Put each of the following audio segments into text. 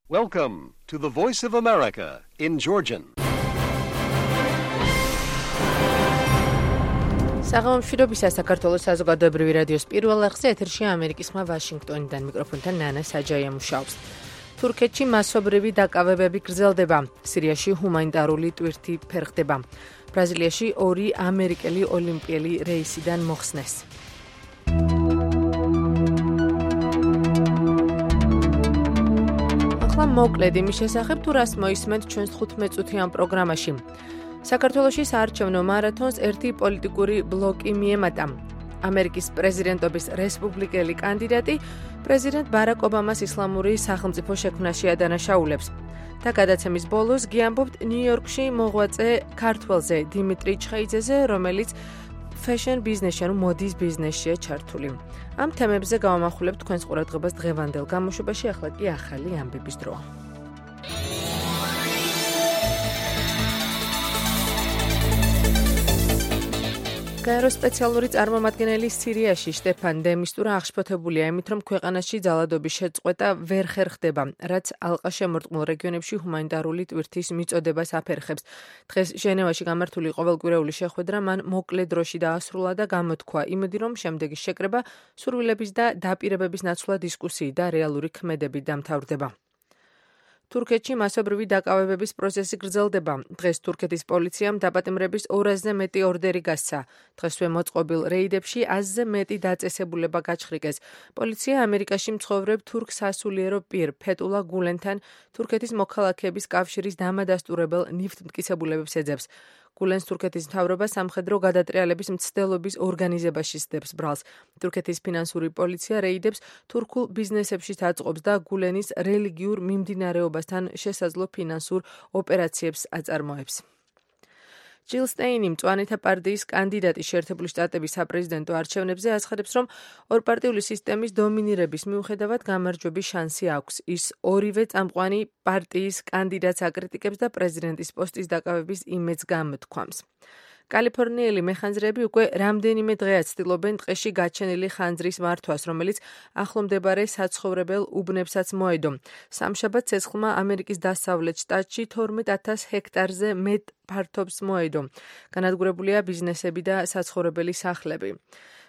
Welcome to the Voice of America in Georgian. საღამომშვიდობისა საქართველოს საზოგადოებრივი რადიოს პირველ ახსე ეთერში ამერიკის ხმა ვაშინგტონიდან მიკროფონთან ნანა საჯაია მუშაობს. თურქეთში მასობრივი დაკავებები გრძელდება. სირიაში ჰუმანიტარული ტვირთი ფერხდება. ბრაზილიაში 2 ამერიკელი ოლიმპიელი რეისიდან მოხსნეს. ახლა მოკლედ იმის შესახებ თუ რას მოისმენთ ჩვენს 15 წუთიან პროგრამაში. საქართველოში საარჩევნო მარათონს ერთი პოლიტიკური ბლოკი მიემატა. ამერიკის პრეზიდენტობის რესპუბლიკელი კანდიდატი პრეზიდენტ ბარაკ ობამას ისლამური სახელმწიფო შექმნაში ადანაშაულებს. და გადაცემის ბოლოს გიამბობთ ნიუ-იორკში მოღვაწე ქართველზე დიმიტრი ჩხეიძეზე, რომელიც ფეშენ ბიზნესში, ანუ მოდის ბიზნესშია ჩართული. ამ თემებზე გავამახვილებთ თქვენს ყურადღებას დღევანდელ გამოშვებაში, ახლა კი ახალი ამბების დროა. გაერო სპეციალური წარმომადგენელი სირიაში შტეფან დე მისტურა აღშფოთებულია იმით, რომ ქვეყანაში ძალადობის შეწყვეტა ვერ ხერხდება, რაც ალყაშემორტყმულ რეგიონებში ჰუმანიტარული ტვირთის მიწოდებას აფერხებს. დღეს ჟენევაში გამართული ყოველკვირეული შეხვედრა მან მოკლე დროში დაასრულა და გამოთქვა იმედი, რომ შემდეგი შეკრება სურვილების და დაპირებების ნაცვლად დისკუსიით და რეალური ქმედებით დამთავრდება. თურქეთში მასობრივი დაკავებების პროცესი გრძელდება. დღეს თურქეთის პოლიციამ დაპატიმრების 200-ზე მეტი ორდერი გასცა. დღესვე მოწყობილ რეიდებში 100-ზე მეტი დაწესებულება გაჩხრიკეს. პოლიცია ამერიკაში მცხოვრებ თურქ სასულიერო პირ ფეტულა გულენთან თურქეთის მოქალაქეების კავშირის დამადასტურებელ ნივთმტკიცებულებებს ეძებს. გულენს თურქეთის მთავრობა სამხედრო გადატრიალების მცდელობის ორგანიზებაში სდებს ბრალს. თურქეთის ფინანსური პოლიცია რეიდებს თურქულ ბიზნესებშიც აწყობს და გულენის რელიგიურ მიმდინარეობასთან შესაძლო ფინანსურ ოპერაციებს აწარმოებს. ჯილ სტეინი, მწვანეთა პარტიის კანდიდატი შეერთებული შტატების საპრეზიდენტო არჩევნებზე, ასახავს, რომ ორპარტიული სისტემის დომინირების მიუხედავად გამარჯვების შანსი აქვს. ის ორივე წამყვანი პარტიის კანდიდატს აკრიტიკებს და პრეზიდენტის პოსტის დაკავების იმედს გამოთქვამს. კალიფორნიელი მეხანძრეები უკვე რამდენიმე დღეა ცდილობენ ტყეში გაჩენილი ხანძრის მართვას, რომელიც ახლომდებარე საცხოვრებელ უბნებსაც მოედო. სამშაბათ ცეცხლმა ამერიკის დასავლეთ შტატში 12,000 ჰექტარზე მეტ ფართობს მოედო. განადგურებულია ბიზნესები და საცხოვრებელი სახლები.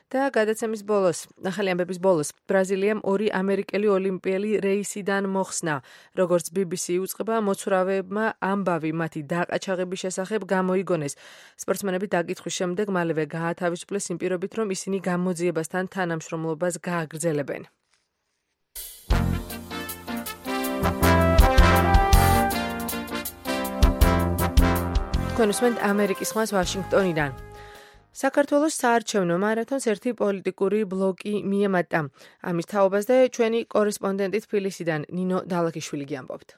და გადაცემის ბოლოს, ახალი ამბების ბოლოს, ბრაზილიამ 2 ამერიკელი ოლიმპიელი რეისიდან მოხსნა. როგორც BBC უწყება, მოცურავეებმა ამბავი მათი დაყაჩაღების შესახებ გამოიგონეს. სპორტსმენები დაკითხვის შემდეგ მალევე გაათავისუფლეს იმ პირობით, რომ ისინი გამოძიებასთან თანამშრომლობას გააგრძელებენ. თქვენ უსმენთ ამერიკის ხმას ვაშინგტონიდან. საქართველოს საარჩევნო მარათონს ერთი პოლიტიკური ბლოკი მიემატა. ამის თაობაზე ჩვენი კორესპონდენტი თბილისიდან ნინო დალაქიშვილი გიამბობთ.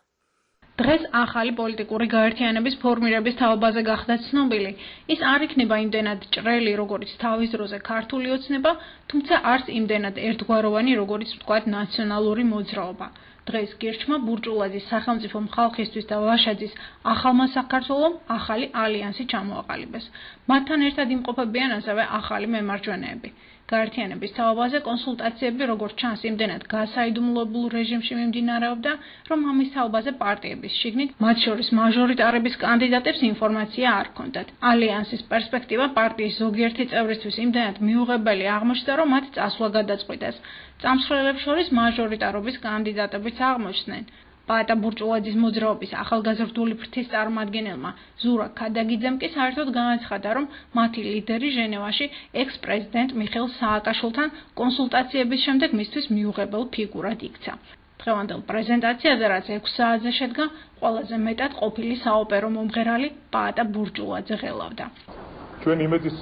დღეს ახალი პოლიტიკური გაერთიანების ფორმირების თაობაზე გახდა ცნობილი. ის არ იქნება იმდენად ჭრელი, როგორც თავის დროზე ქართული ოცნება, თუმცა არც იმდენად ერთგვაროვანი, როგორც ვთქვათ, ნაციონალური მოძრაობა. დღეს გირჩმა ბურჭულაძის სახელმწიფო ხალხისთვის და ვაშაძის ახალმა საქართველომ ახალი ალიანსი ჩამოაყალიბეს. მათთან ერთად იმყოფებიან ასევე ახალი მემარჯვენეები. გაერთიანების თაობაზე კონსულტაციები, როგორც ჩანს, იმდენად გასაიდუმლოებულ რეჟიმში მიმდინარეობდა, რომ ამის თაობაზე პარტიების შიგნით, მათ შორის მაჟორიტარების კანდიდატებს ინფორმაცია არ ჰქონდათ. ალიანსის პერსპექტივა პარტიის ზოგიერთი წევრისთვის იმდენად მიუღებელი აღმოჩნდა, რომ მათ წასვლა გადაწყვიტეს. წამსვლელებს შორის მაჟორიტარობის კანდიდატებიც აღმოჩნდნენ. პაატა ბურჭულაძის მოძრაობის ახალგაზრდული ფრთის წარმომადგენელმა ზურა ქადაგიძემ კი საერთოდ განაცხადა, რომ მათი ლიდერი ჟენევაში ექს-პრეზიდენტ მიხეილ სააკაშვილთან კონსულტაციების შემდეგ მისთვის მიუღებელ ფიგურად იქცა. დღევანდელ პრეზენტაციაზე, რაც 6 საათზე შედგა, ყველაზე მეტად ყოფილი საოპერო მომღერალი პაატა ბურჭულაძე ღელავდა. ჩვენ იმედის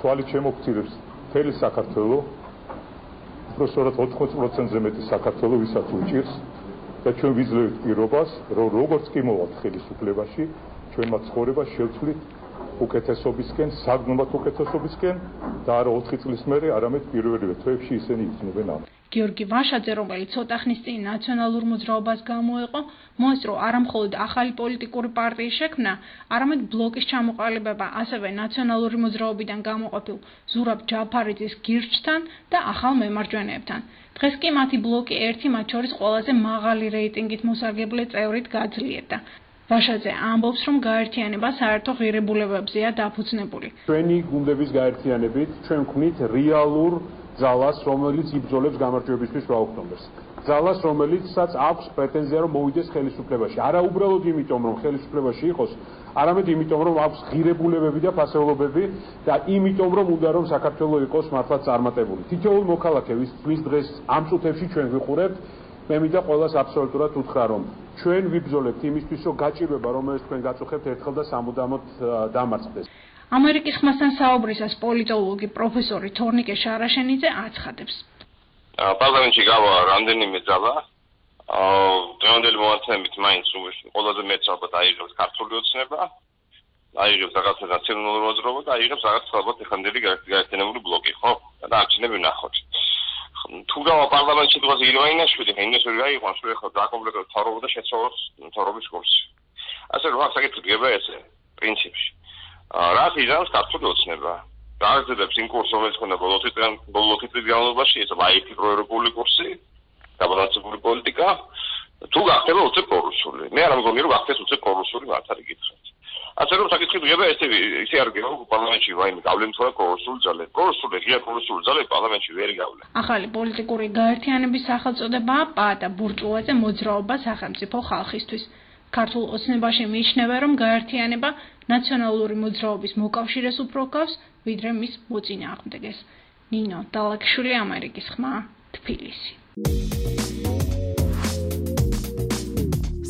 თვალით შემოგცირებს მთელი საქართველო, უბრალოდ 80%-ზე მეტი საქართველო ვისაც უჭირს. და ჩვენ ვიძლევთ პირობას, რომ როგორც კი მოვალთ ხელისუფლებაში, ჩვენმა ცხოვრება შევცვლით უკეთესობისკენ, საგნომად უკეთესობისკენ და არა 4 წლის მერე, არამედ პირველივე თვეებში ისინი იქნებენ ამ. გიორგი ვაშაძე, რომელიც ცოტა ხნის წინ ნაციონალურ მოძრაობას გამოეყო, მოესწრო არა მხოლოდ ახალი პოლიტიკური პარტიის შექმნა, არამედ ბლოკის ჩამოყალიბება ასევე ნაციონალური მოძრაობიდან გამოყოფილ ზურაბ ჯაფარიძის გირჩთან და ახალ მემარჯვენეებთან. დღეს კი მათი ბლოკი ერთი მათ შორის ყველაზე მაღალი რეიტინგით მოსარგებლე წევრით გაძლიერდა. ვაშაძე ამბობს, რომ გაერთიანება საერთო ღირებულებებზეა დაფუძნებული. ჩვენი გუნდების გაერთიანებით ჩვენ ვქმნით რეალურ ძალას, რომელიც იბრძოლებს გამარჯვებისთვის 8 ოქტომბერს. ძალას, რომელიცაც აქვს პრეტენზია, რომ მოვიდეს ხელისუფლებაში. არა უბრალოდ იმიტომ, რომ ხელისუფლებაში იყოს, არამედ იმიტომ, რომ აქვს ღირებულებები და ფასეულობები და იმიტომ, რომ უნდა რომ საქართველოს იყოს მართლაც წარმატებული. თითოეულ მოქალაქე, ვის დღეს ამ წუთებში ჩვენ ვიყურებთ, მე მინდა ყველას აბსოლუტურად უთხრა, რომ ჩვენ ვიბრძოლებთ იმისთვის, რომ გაჭირვება, რომელიც თქვენ გაწუხებთ, ერთხელ და სამუდამოდ დამარცხდეს. ამერიკის ხმასთან საუბრისას პოლიტოლოგი პროფესორი თორნიკე შარაშენიძე აცხადებს. პარლამენტში გავა რამდენიმე ძალა. დღევანდელი მომართულებით მაინც ყველაზე მეტს ალბათ აიღებს ქართული ოცნება, აიღებს რაღაცა ნაციონალური მოძრაობა და აიღებს რაღაცა ალბათ ეხანდელი გაერთიანებული ბლოკი, ხო? და არჩევნები ვნახოთ. თუ გავა პარლამენტში დღეს ირვაინაშვილი, ინესური გაიყვანს, რომ ახლა დაკომპლექტებს მთავრობა და შეცვალოს მთავრობის კურსი. ასე რომ აქ საკითხი დგება ესე პრინციპში. რაც იზამს ქართული ოცნება. გააგრძელებს იმ კურსს, რომელიც ხონდა ბოლო 10 წლის განმავლობაში, ეს IT პროევროპული კურსი, გაბალანსებული პოლიტიკა, თუ გახდება უცებ პრორუსული. მე არ მგონი, რომ გახდეს უცებ პრორუსული მათ არის გითხრათ. ასე რომ საკითხი დგება ესე არ გიგო პარლამენტში ვაიმე გავლენ თორე პრორუსული ძალე. პრორუსული ღია პრორუსული ძალე პარლამენტში ვერ გავლენ. ახალი პოლიტიკური გაერთიანების სახელწოდებაა პა და ბურჭულაძე მოძრაობა სახელმწიფო ხალხისთვის. ქართულ ოცნებაში მიიჩნევა, რომ გაერთიანება ნაციონალური მოძრაობის მოკავშირეს უფრო გავს, ვიდრე მის მოწინააღმდეგეს. ნინო დალაკშვილი, ამერიკის ხმა, თბილისი.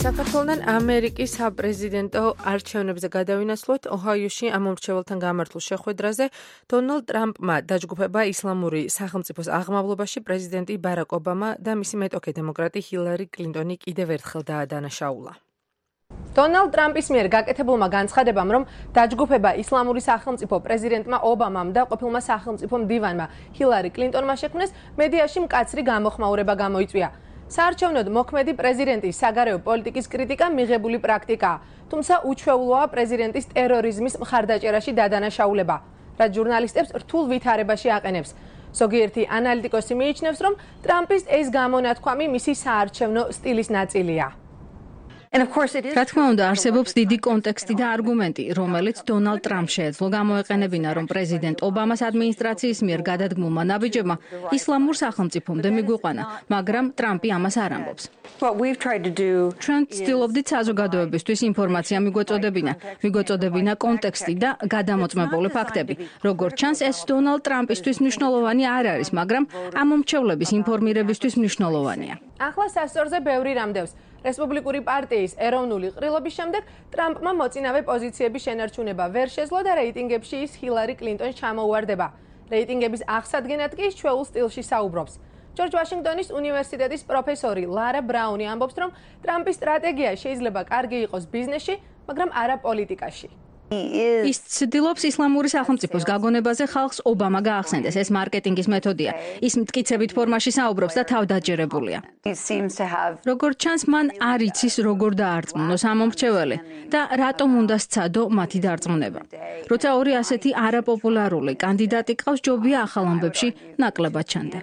საქართველოსთან ამერიკის საპრეზიდენტო არჩევნებზე გადავინაცვლოთ. ოჰაიოში ამ მომრჩეველთან გამართულ შეხვედრაზე დონალდ ტრამპმა დაჯგუფება ისლამური სახელმწიფოს აღმავლობაში პრეზიდენტი ბარაკ ობამა და მისი მეტოქე დემოკრატი ჰილარი კლინტონი კიდევ ერთხელ დაადანაშაულა. დონალდ ტრამპის მიერ გაკეთებულმა განცხადებამ, რომ დაჯგუფება ისლამური სახელმწიფო პრეზიდენტმა ობამამ და ყოფილმა სახელმწიფო მდივანმა ჰილარი კლინტონმა შექმნეს, მედიაში მკაცრი გამოხმაურება გამოიწვია. საარჩევნოდ მოქმედი პრეზიდენტის საგარეო პოლიტიკის კრიტიკა მიღებული პრაქტიკაა, თუმცა უჩვეულოა პრეზიდენტის ტერორიზმის მხარდაჭერაში დადანაშაულება, რაც ჟურნალისტებს რთულ ვითარებაში აყენებს. ზოგიერთი ანალიტიკოსი მიიჩნევს, რომ ტრამპის ეს გამონათქვამი მისი საარჩევნო სტილის ნაწილია. რა თქმა უნდა, არსებობს დიდი კონტექსტი და არგუმენტი, რომელიც დონალდ ტრამპს შეეძლო გამოეყენებინა, რომ პრეზიდენტ ობამას ადმინისტრაციის მიერ გადადგმულმა ნაბიჯებმა ისლამურ სახელმწიფომდე მიგვიყვანა, მაგრამ ტრამპი ამას არ ამბობს. ჩვენ ვცდილობდით საზოგადოებისთვის ინფორმაცია მიგვეწოდებინა კონტექსტი და გადამოწმებული ფაქტები. როგორც ჩანს, ეს დონალდ ტრამპისთვის მნიშვნელოვანი არ არის, მაგრამ ამ მომრჩევლების ინფორმირებისთვის მნიშვნელოვანია. ახლა სასწორზე ბევრი რამდევს. რესპუბლიკური პარტიის ეროვნული ყრილობის შემდეგ ტრამპმა მოწინავე პოზიციების შენარჩუნება ვერ შეძლო და რეიტინგებში ის ჰილარი კლინტონს ჩამოუვარდება. რეიტინგების აღსადგენად კი ჩვეულ სტილში საუბრობს. ჯორჯ ვაშინგტონის უნივერსიტეტის პროფესორი ლარა ბრაუნი ამბობს, რომ ტრამპის სტრატეგია შეიძლება კარგი იყოს ბიზნესში, მაგრამ არა პოლიტიკაში. ის ცდილობს ისლამური სახელმწიფოს გაგონებაზე ხალხს ობამა გაახსენდეს. ეს მარკეტინგის მეთოდია. ის მტკიცებით ფორმაში საუბრობს და თავდაჯერებულია. როგორც ჩანს, მან არ იცის როგორ დაარწმუნოს ამ მომრჩეველი და რატომ უნდა სცადო მათი დარწმუნება. როცა ორი ასეთი არაპოპულარული კანდიდატი ყავს, ჯობია ახალ ამბებში ნაკლებად ჩანდე.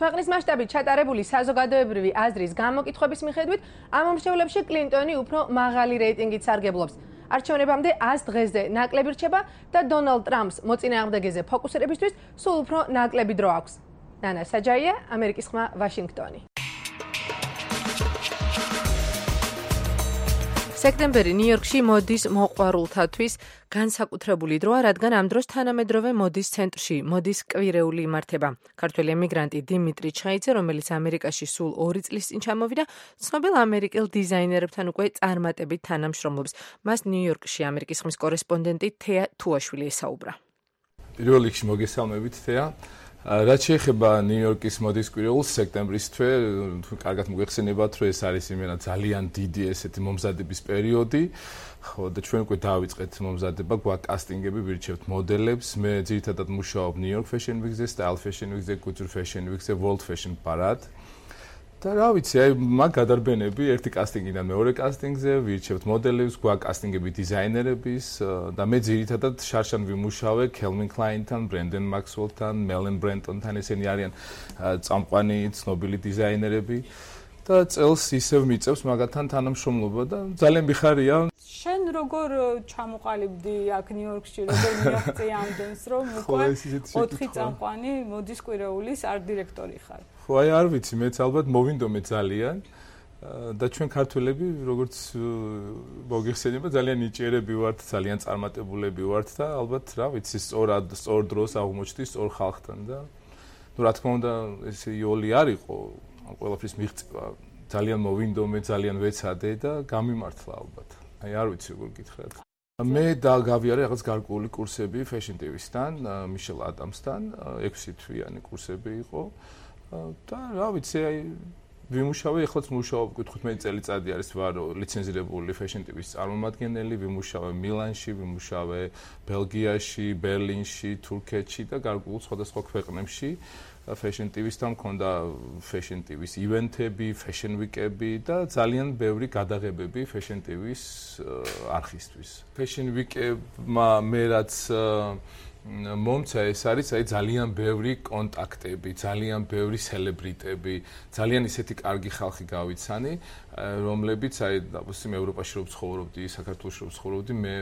ქვეყნის მასშტაბით ჩატარებული საზოგადოებრივი აზრის გამოკითხვების მიხედვით, ამ მომრჩევლებში კლინტონი უფრო მაღალი რეიტინგით სარგებლობს. არჩევნებამდე 100 დღეზე ნაკლები რჩება და დონალდ ტრამპს მოწინააღმდეგეზე ფოკუსირებისთვის სულ უფრო ნაკლები დრო აქვს. ნანა საჯაია, ამერიკის ხმა, ვაშინგტონი. სექტემბერი ნიუ-იორკში მოდის მოყვარულთათვის განსაკუთრებული დროა, რადგან ამ დროს თანამედროვე მოდის ცენტრში მოდის კვირეული იმართება. ქართველი ემიგრანტი დიმიტრი ჩხაიძე, რომელიც ამერიკაში სულ 2 წლის წინ ჩამოვიდა, ცნობილ ამერიკელ დიზაინერებთან უკვე წარმატებით თანამშრომლობს. მას ნიუ-იორკში ამერიკის ხმის კორესპონდენტი თეა თუაშვილი ესაუბრა. პირველ რიგში მოგესალმებით თეა. რაც შეეხება ნიუ-იორკის მოდის კვირეულს სექტემბრის თვე, კარგად მოგეხსენებათ, რომ ეს არის იმენა ძალიან დიდი ესეთი მომზადების პერიოდი. ხო და ჩვენ უკვე დავიწყეთ მომზადება, გვაქვს კასტინგები, ვირჩევთ მოდელებს. მე ძირითადად მუშაობ New York Fashion Week-ზე, Style Fashion Week-ზე, Couture Fashion Week-ზე, World Fashion Parade. და რა ვიცი, აი მაგ გადარბენები ერთი კასტინგიდან მეორე კასტინგზე, ვირჩევთ მოდელებს, გვაქვს კასტინგები დიზაინერების და მე ძირითადად შარშან ვიმუშავე Calvin Klein-თან, Brandon Maxwell-თან, Melanie Brenton-თან, ესენი არიან წამყვანი ცნობილი დიზაინერები. და წელს ისევ მიწევს მაგათთან თანამშრომლობა და ძალიან მიხარია. შენ როგორ ჩამოყალიბდი აქ ნიუ-იორკში, როგორ მიაღწია ამდენს, რომ უკვე 4 წამყვანი მოდის კვირეულის ართ-დირექტორი ხარ? ხო, აი არ ვიცი, მეც ალბათ მოვინდომე ძალიან და ჩვენ ქართველები, როგორც მოგიხსენება, ძალიან ნიჭიერები ვართ, ძალიან წარმატებულები ვართ და ალბათ რა ვიცი, სწორ დროს აღმოჩნდი სწორ ხალხთან და ნუ რა თქმა უნდა, ეს იოლი არ იყო, ყველაფრის მიღწევა ძალიან მოვინდომე, ძალიან ვეცადე და გამიმართლა ალბათ. აი არ ვიცი როგორ გითხრათ. მე გავიარე რაღაც გარკვეული კურსები Fashion TV-სთან, Michelle Adams-თან, 6 თვიანი კურსები იყო. და რა ვიცი, აი ვიმუშავე, ეხლაც მუშაობ 15 წელიწადი არის ვარ ლიცენზირებული Fashion TV-ს წარმომადგენელი, ვიმუშავე მილანში, ვიმუშავე ბელგიაში, ბერლინში, თურქეთში და გარკვეულ სხვადასხვა ქვეყნებში. Fashion TV-სთან მქონდა Fashion TV-ს ივენთები, Fashion Week-ები და ძალიან ბევრი გადაღებები Fashion TV-ს არხისთვის. Fashion Week-მა მე რაც მომცა ეს არის აი ძალიან ბევრი კონტაქტები, ძალიან ბევრი სელებრიტები, ძალიან ისეთი კარგი ხალხი გავიცანი, რომლებიც აი დაბოსიმ ევროპაში რო ცხოვრობდი, საქართველოში რო ცხოვრობდი, მე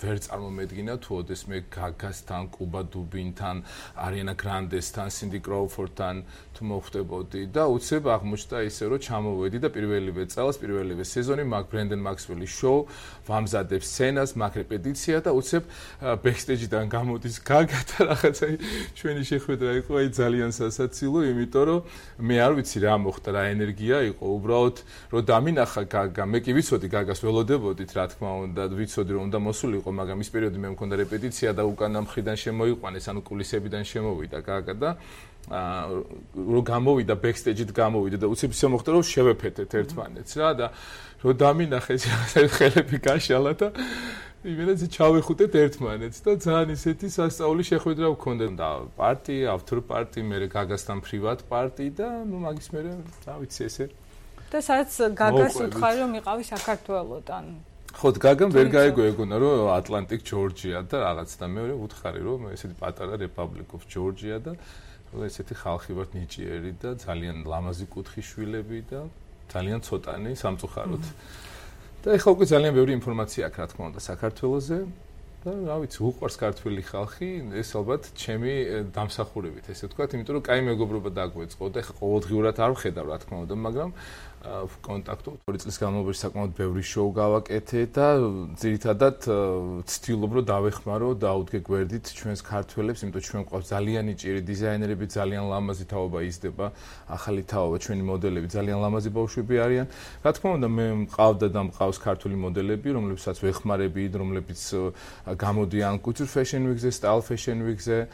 ვერ წარმომედგინა თუ ოდეს მე გაგასთან, კუბა დუბინთან, არიანა გრანდესთან, სინდი კროუფორდთან თუ მოხვდებოდი და უცებ აღმოჩნდა ისე რომ ჩამოვედი და პირველივე წელს, პირველივე სეზონი მაგ Brandon Maxwell-ის შოუ ვამზადებ სცენას, მაგ რეპეტიცია და უცებ ბექსტეიჯიდან გამოდის გაგა და რაღაცა ჩვენი შეხვედრა იყო აი ძალიან სასაცილო, იმიტომ რომ მე არ ვიცი რა მოხდა, რა ენერგია იყო, უბრალოდ რომ დამინახა გაგა, მე კი ვიცოდი გაგას ველოდებოდით, რა თქმა უნდა, ვიცოდი რომ უნდა მოსულიყო, მაგრამ ის პერიოდი მე მქონდა რეპეტიცია და უკანა მხრიდან შემოიყვანეს, ანუ კულისებიდან შემოვიდა გაგა და რომ გამოვიდა ბექსტეიჯით გამოვიდა და უცებ ისე მოხდა რომ შევეფეთეთ ერთმანეთს რა და რომ დამინახეს ხელები გაშალა და იმენაც ჩავეხუტეთ ერთმანეთს და ძალიან ისეთი სასწაული შეხვედრა ვქონდა და პარტი, ავთორ პარტი, მე გაგასთან პრივატ პარტი და ნუ მაგის მე რა ვიცი ესე და სადაც გაგას უთხარი რომ იყავი საქართველოსთან. ხო, გაგამ ვერ გაიგო ეგონა რომ ატლანტიკ ჯორჯია და რაღაც და მეორე უთხარი რომ ესეთი პატარა Republic of Georgia და ესეთი ხალხი ვართ ნიჭიერი და ძალიან ლამაზი კუთხის შვილები და ძალიან ცოტანი სამწუხაროდ. და ეხლა უკვე ძალიან ბევრი ინფორმაცია აქვს რა თქმა უნდა საქართველოზე და რა ვიცი, უყვარს ქართველი ხალხი, ეს ალბათ ჩემი დამსახურებით, ესე ვთქვათ, იმიტომ რომ კაი მეგობრობა დაგვეწყო და ეხლა ყოველდღიურად არ ვხედავ რა თქმა უნდა, მაგრამ კონტაქტობ 2 წლის განმავლობაში საკმაოდ ბევრი შოუ გავაკეთე და ძირითადად ვცდილობ რომ დავეხმარო და აუდგე გვერდით ჩვენს ქართველებს, იმიტომ ჩვენ გვყავს ძალიან ნიჭიერი დიზაინერები, ძალიან ლამაზი თაობა იზრდება, ახალი თაობა, ჩვენი მოდელები ძალიან ლამაზი ბავშვები არიან. რა თქმა უნდა, მე მყავდა და მყავს ქართული მოდელები, რომლებსაც ვეხმარები, რომლებიც გამოდიან Couture Fashion Week-ზე, Style Fashion Week-ზე,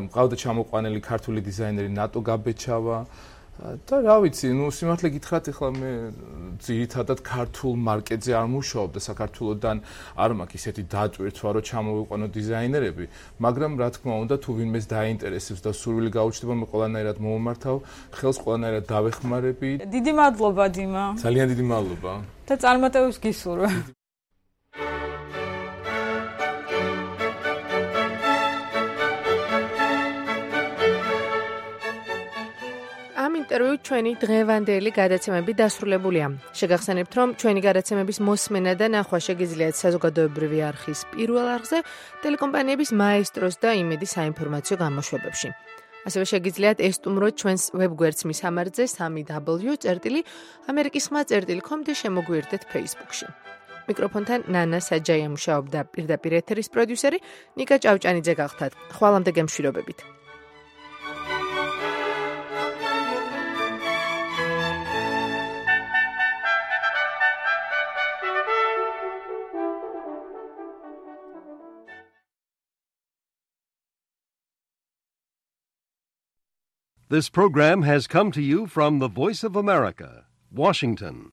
მყავდა ჩამოყვანილი ქართული დიზაინერი ნატო გაბეჩავა და რა ვიცი, ნუ სიმართლე გითხრათ, ეხლა მე ძირითადად ქართულ მარკეტზე არ მუშაობ და საქართველოსთან არ მაქვს ისეთი დატვირთვა, რომ ჩამოვიყვანო დიზაინერები, მაგრამ რა თქმა უნდა, თუ ვინმეს დაინტერესებს და სურვილი გაუჩნდება, მე ყველანაირად მომმართავ, ხელს ყველანაირად დავეხმარები. დიდი მადლობა, დიმა. ძალიან დიდი მადლობა. და წარმატებებს გისურვებ. ინტერვიუ ჩვენი დღევანდელი გადაცემები დასრულებულია. შეგახსენებთ, რომ ჩვენი გადაცემების მოსმენა და ნახვა შეგიძლიათ საზოგადოებრივი არხის პირველ არხზე, ტელეკომპანიების მაესტროს და იმედის საინფორმაციო გამოშვებებში. ასევე შეგიძლიათ ესტუმროთ ჩვენს ვებგვერდს მისამართზე 3w.amerikisxma.com და შემოგვიერთდეთ Facebook-ში. მიკროფონთან ნანა საჯაია მუშაობდა, პირდაპირ ეთერის პროდიუსერი ნიკა ჭავჭანიძე გახდათ. ხვალამდე გემშვიდობებით. This program has come to you from the Voice of America, Washington.